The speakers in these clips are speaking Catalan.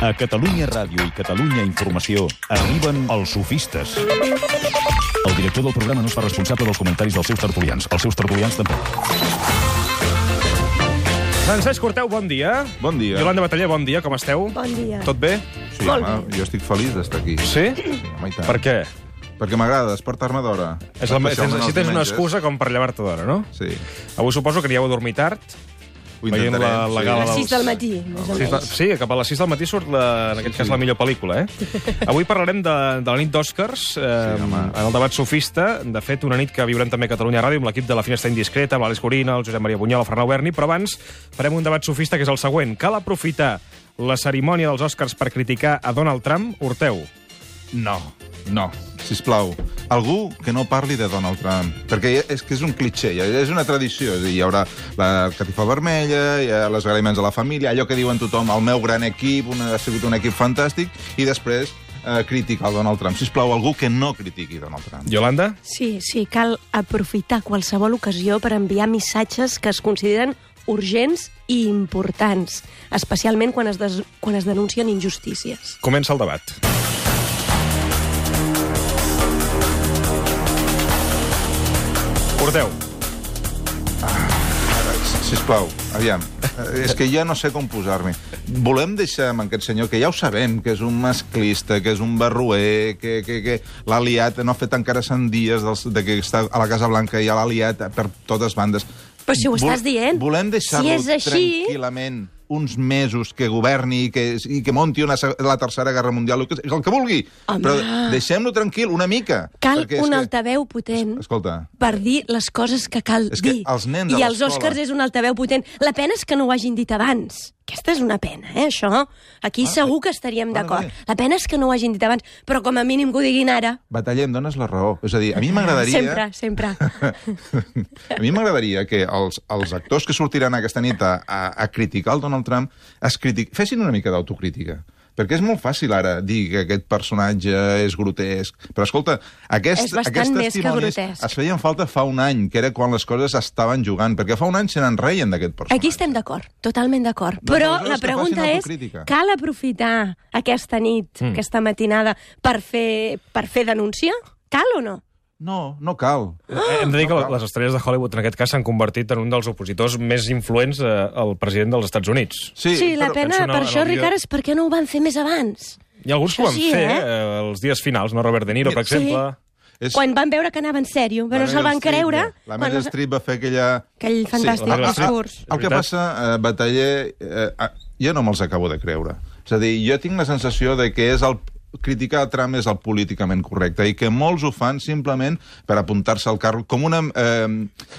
A Catalunya Ràdio i Catalunya Informació arriben els sofistes. El director del programa no es fa responsable dels comentaris dels seus tertulians. Els seus tertulians tampoc. Francesc Corteu, bon dia. Bon dia. Yolanda Bataller, bon dia, com esteu? Bon dia. Tot bé? Sí, home, jo estic feliç d'estar aquí. Sí? Sí, home, i tant. Per què? Perquè m'agrada despertar-me d'hora. Si tens una excusa com per llevar-te d'hora, no? Sí. Avui suposo que anieu a dormir tard. Ho Veient intentarem. la gala A les 6 del matí, més o menys. Sí, cap a les 6 del matí surt, en aquest cas, la millor pel·lícula, Avui parlarem de la nit d'Oscars, en el debat sofista. De fet, una nit que viurem també a Catalunya Ràdio, amb l'equip de La Finestra Indiscreta, amb l'Àlex Gorina, el Josep Maria Bunyol, el Fernau Berni, però abans farem un debat sofista que és el següent. Cal aprofitar la cerimònia dels Oscars per criticar a Donald Trump? Horteu. No, sisplau. Algú que no parli de Donald Trump. Perquè és que és un clitxé, és una tradició. És a dir, hi haurà la catifa vermella, hi ha les agraïments a la família, allò que diuen tothom, el meu gran equip, ha sigut un equip fantàstic, i després criticar el Donald Trump. Sisplau, algú que no critiqui Donald Trump. Yolanda? Sí, cal aprofitar qualsevol ocasió per enviar missatges que es consideren urgents i importants, especialment quan es denuncien injustícies. Comença el debat. Corteu. Sisplau, aviam. És que ja no sé com posar-me. Volem deixar amb aquest senyor, que ja ho sabem, que és un masclista, que és un barroer, que l'ha liat, no ha fet encara 100 dies de que està a la Casa Blanca i ja l'ha liat per totes bandes. Però si ho estàs dient, volem deixar-lo si és així, tranquil·lament uns mesos, que governi i que monti la Tercera Guerra Mundial, el que vulgui. Home. Però deixem-lo tranquil una mica. Cal un altaveu potent per dir les coses que cal dir. Els nens a I els l'escola... Oscars és un altaveu potent. La pena és que no ho hagin dit abans. Aquesta és una pena, això. Aquí segur que estaríem d'acord. La pena és que no ho hagin dit abans, però com a mínim que ho diguin ara. Bataller, em dones la raó. És a dir, a mi m'agradaria... Sempre. A mi m'agradaria que els actors que sortiran aquesta nit a criticar el Donald Trump fessin una mica d'autocrítica. Perquè és molt fàcil ara dir que aquest personatge és grotesc. Però, escolta, aquests testimonis es feien falta fa un any, que era quan les coses estaven jugant, perquè fa un any se n'en reien d'aquest personatge. Aquí estem d'acord, totalment d'acord. Però la pregunta és, cal aprofitar aquesta nit, aquesta matinada, per fer denúncia? Cal o no? No cal. Hem de dir que les estrelles de Hollywood, en aquest cas, s'han convertit en un dels opositors més influents al president dels Estats Units. Sí, la pena per això, Ricard, és per què no ho van fer més abans. Hi ha alguns que ho van fer els dies finals, no? Robert De Niro, per exemple. Quan van veure que anava en sèrio, però no se'l van creure. La Meryl Streep va fer aquell fantàstic discurs. El que passa, Bataller, jo no me'ls acabo de creure. És a dir, jo tinc la sensació de que criticar Trump és el políticament correcte i que molts ho fan simplement per apuntar-se al carro.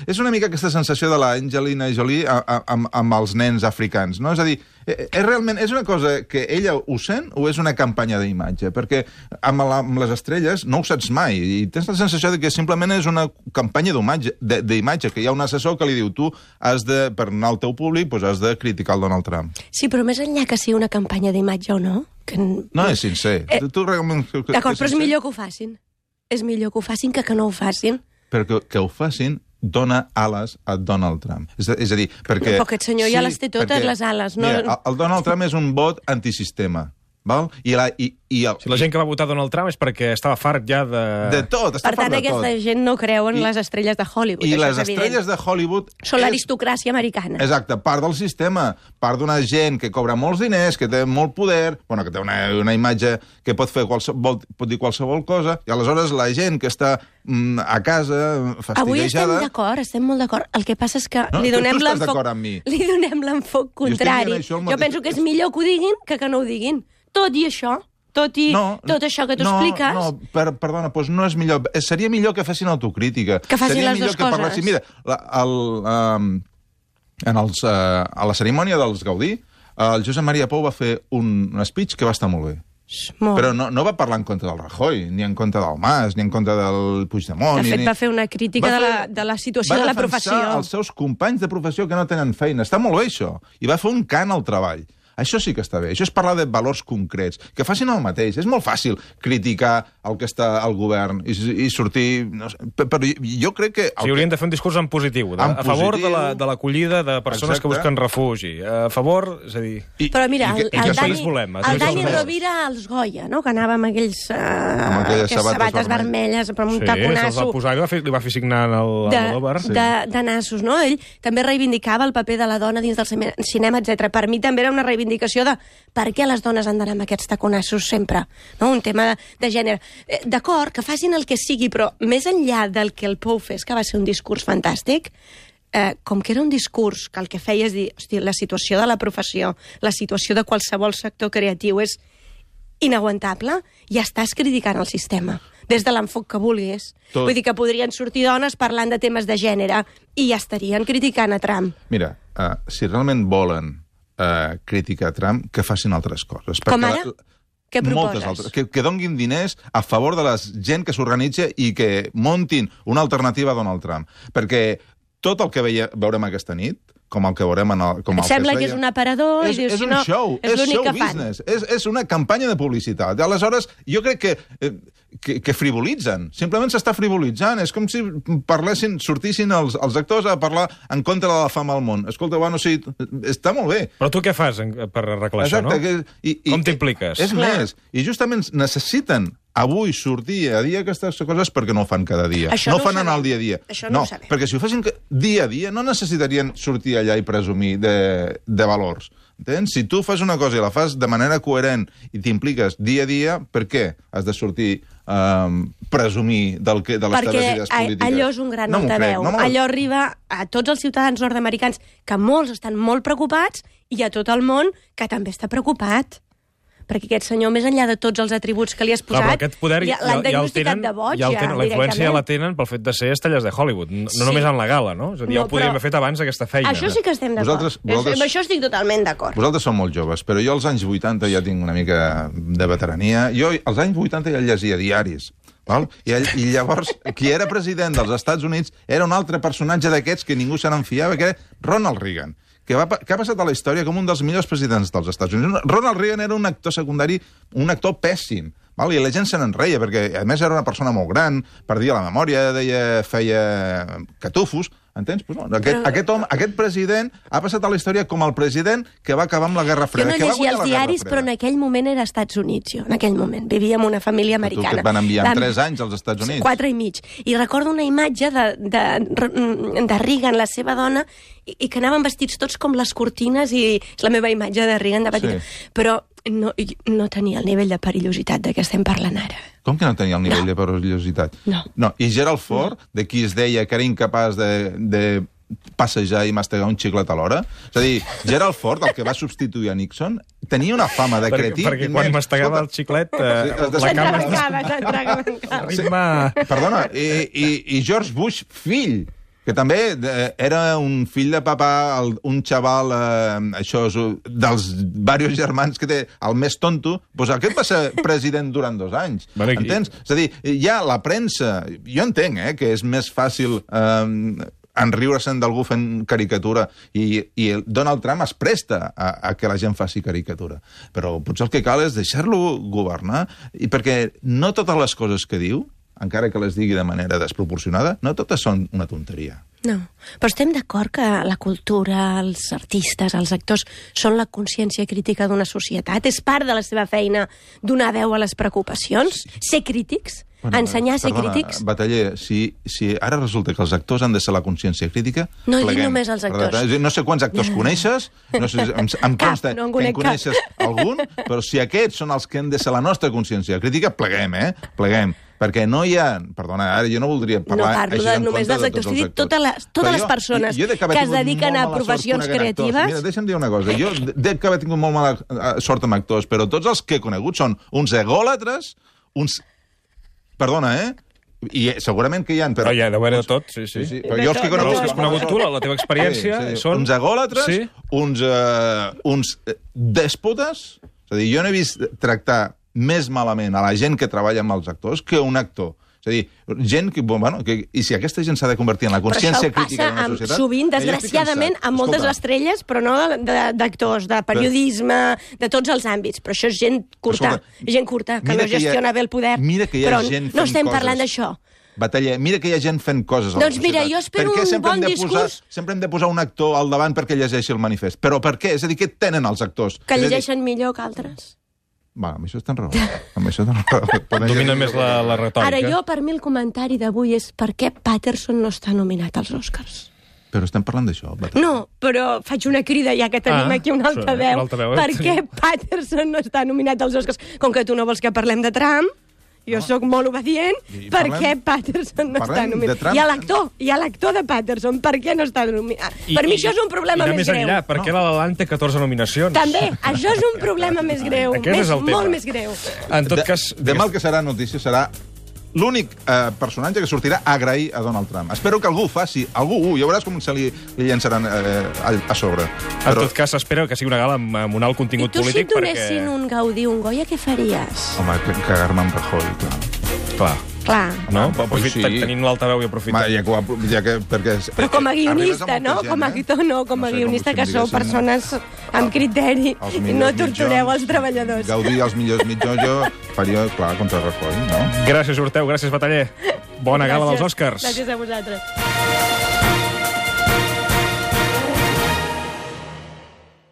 És una mica aquesta sensació de l'Angelina Jolie amb els nens africans, no? És a dir, és una cosa que ella ho sent o és una campanya d'imatge? Perquè amb les estrelles no ho saps mai i tens la sensació de que simplement és una campanya d'imatge, que hi ha un assessor que li diu tu per anar al teu públic has de criticar el Donald Trump. Sí, però més enllà que sigui una campanya d'imatge o no... No, és sincer. D'acord, però és millor que ho facin. És millor que ho facin que no ho facin. Perquè que ho facin dona ales a Donald Trump. És a dir, perquè... Però aquest senyor ja les té totes, les ales. Mira, el Donald Trump és un vot antisistema. Val? Si la gent que va votar Donald Trump és perquè estava fart ja de tot, està fart de tot. Per tant, aquesta gent no creu en les estrelles de Hollywood. I les estrelles de Hollywood... Són l'aristocràcia americana. Exacte, part del sistema, part d'una gent que cobra molts diners, que té molt poder, que té una imatge que pot dir qualsevol cosa, i aleshores la gent que està a casa fastiguejada... Avui estem molt d'acord. El que passa és que li donem l'enfoc contrari. Jo penso que és millor que ho diguin que no ho diguin. Tot i això, tot això que tu expliques... Perdona, doncs no és millor. Seria millor que fessin autocrítica. Que facin les dues coses. Mira, a la cerimònia dels Gaudí, el Josep Maria Pou va fer un speech que va estar molt bé. Però no va parlar en contra del Rajoy, ni en contra del Mas, ni en contra del Puigdemont... De fet, va fer una crítica de la situació de la professió. Va defensar els seus companys de professió que no tenen feina. Està molt bé, això. I va fer un cant al treball. Això sí que està bé. Això és parlar de valors concrets. Que facin el mateix. És molt fàcil criticar el que està al govern i sortir... No sé, però jo crec que... Sí, haurien de fer un discurs en positiu. A favor de l'acollida de persones que busquen refugi. A favor, és a dir... Però mira, el Dani Rovira als Goya, no?, que anava amb aquells sabates vermelles, però amb un taconasso... Sí, se'ls va posar i li va fer signar l'Almodóvar. De nassos, no? Ell també reivindicava el paper de la dona dins del cinema, etc. Per mi també era una reivindicació de per què les dones han d'anar amb aquests taconassos sempre, no? Un tema de gènere. D'acord, que facin el que sigui, però més enllà del que el Pou fes, que va ser un discurs fantàstic, com que era un discurs que el que feia és dir, hosti, la situació de la professió, la situació de qualsevol sector creatiu és inaguantable, ja estàs criticant el sistema, des de l'enfoc que vulguis. Vull dir que podrien sortir dones parlant de temes de gènere i ja estarien criticant a Trump. Mira, si realment volen criticar Trump, que facin altres coses. Com ara? Què proposes? Moltes altres. Que donguin diners a favor de la gent que s'organitza i que montin una alternativa a Donald Trump. Perquè tot el que veurem aquesta nit, com el que veurem Et sembla que és un aparador i dius, un show, és show business, és una campanya de publicitat. Aleshores, jo crec que frivolitzen, simplement s'està frivolitzant, és com si sortissin els actors a parlar en contra de la fama al món. Escolta, bueno, sí, està molt bé. Però tu què fas per arreglar això, no? Com t'impliques? És més, i justament necessiten avui sortir a dir aquestes coses perquè no ho fan cada dia. No ho fan en el dia a dia. No, perquè si ho fessin dia a dia no necessitarien sortir allà i presumir de valors. Entens? Si tu fas una cosa i la fas de manera coherent i t'impliques dia a dia, per què has de sortir presumir de les teves idees polítiques? Perquè allò és un gran altaveu. Allò arriba a tots els ciutadans nord-americans, que molts estan molt preocupats, i a tot el món que també està preocupat. Perquè aquest senyor, més enllà de tots els atributs que li has posat, l'han diagnosticat de boig, ja la influència ja la tenen pel fet de ser estrelles de Hollywood, no només en la gala, no? És a dir, ja ho podríem haver fet abans, aquesta feina. Això sí que estem d'acord. Amb això estic totalment d'acord. Vosaltres sou molt joves, però jo als anys 80 ja tinc una mica de veterania. Jo als anys 80 ja llegia diaris. Val? I llavors, qui era president dels Estats Units era un altre personatge d'aquests que ningú se n'enfiava, que era Ronald Reagan, que ha passat a la història com un dels millors presidents dels Estats Units. Ronald Reagan era un actor secundari, un actor pèssim, val? I la gent se n'enreia, perquè a més era una persona molt gran, perdia la memòria, feia catufos, entens? Pues no, aquest president ha passat a la història com el president que va acabar amb la Guerra Freda. Jo no llegia els diaris, però en aquell moment era Estats Units, jo, en aquell moment. Vivia en una família americana. Tu que et van enviar en 3 anys als Estats Units. 4 i mig. I recordo una imatge de Reagan, la seva dona, i que anaven vestits tots com les cortines, i és la meva imatge de Reagan de petita. Sí. Però no tenia el nivell de perillositat de què estem parlant ara. Com que no tenia el nivell de perillositat? No. I Gerald Ford, de qui es deia que era incapaç de passejar i mastegar un xiclet alhora? És a dir, Gerald Ford, el que va substituir a Nixon, tenia una fama de cretí... Perquè quan mastegava el xiclet, la cama... Perdona, i George Bush, fill, que també era un fill de papà, un xaval, dels diversos germans que té el més tonto, doncs aquest va ser president durant 2 anys. Entens? És a dir, ja la premsa... Jo entenc que és més fàcil enriure-se'n d'algú fent caricatura i Donald Trump es presta a que la gent faci caricatura. Però potser el que cal és deixar-lo governar, i perquè no totes les coses que diu, encara que les digui de manera desproporcionada, no totes són una tonteria. No, però estem d'acord que la cultura, els artistes, els actors, són la consciència crítica d'una societat? És part de la seva feina donar veu a les preocupacions? Ser crítics? Ensenyar a ser crítics? Bataller, si ara resulta que els actors han de ser la consciència crítica... No dic només els actors. No sé quants actors coneixes, no sé, em consta que en coneixes algun, però si aquests són els que han de ser la nostra consciència crítica, pleguem, pleguem. Perquè no hi ha... Perdona, ara jo no voldria parlar... No parlo només dels actors, t'he dit totes les persones que es dediquen a professions creatives... Mira, deixa'm dir una cosa. Jo dec haver tingut molt mala sort amb actors, però tots els que he conegut són uns egòlatres, uns... Perdona, i segurament que hi ha... Però ja, deu haver de tot, sí. Però jo els que has conegut tu, la teva experiència, són... Uns egòlatres, uns dèspotes... És a dir, jo no he vist tractar més malament a la gent que treballa amb els actors que un actor És a dir, gent i si aquesta gent s'ha de convertir en la consciència crítica d'una societat... Sovint, desgraciadament, amb moltes estrelles, però no d'actors, de periodisme, de tots els àmbits. Però això és gent curta, que no gestiona bé el poder. Però no estem parlant d'això. Batalla, mira que hi ha gent fent coses a la societat. Doncs mira, jo espero un bon discurs... Sempre hem de posar un actor al davant perquè llegeixi el manifest. Però per què? És a dir, què tenen els actors? Que llegeixen millor que altres. Va, amb això estan raó. Domina més la retòrica. Ara, per mi el comentari d'avui és per què Patterson no està nominat als Oscars. Però estem parlant d'això. No, però faig una crida, ja que tenim aquí un altaveu. Per què Patterson no està nominat als Oscars? Com que tu no vols que parlem de Trump, jo sóc molt obedient, per què Patterson no està nominat? Hi ha l'actor de Patterson, per què no està nominat? Per mi això és un problema més greu. Enllà, per què La La Land té 14 nominacions? També, això és un problema més greu, molt més greu. En tot cas... Demà el que serà notícia serà l'únic personatge que sortirà a agrair a Donald Trump. Espero que algú ho faci, ja veuràs com se li llançaran a sobre. En tot cas, espero que sigui una gala amb un alt contingut polític. I tu, si et donessin un Gaudí, un Goya, què faries? Home, cagar-me amb Rajoy, clar. No? Tenint l'altaveu i aprofitant. Però com a guionista, no? Com a actor, no. Com a guionista, que sou persones amb criteri i no tortureu els treballadors. Gaudí els millors mitjons, jo faria, clar, contra Rajoy, no? Gràcies, Orteu, gràcies, Bataller. Bona gala dels Oscars. Gràcies a vosaltres.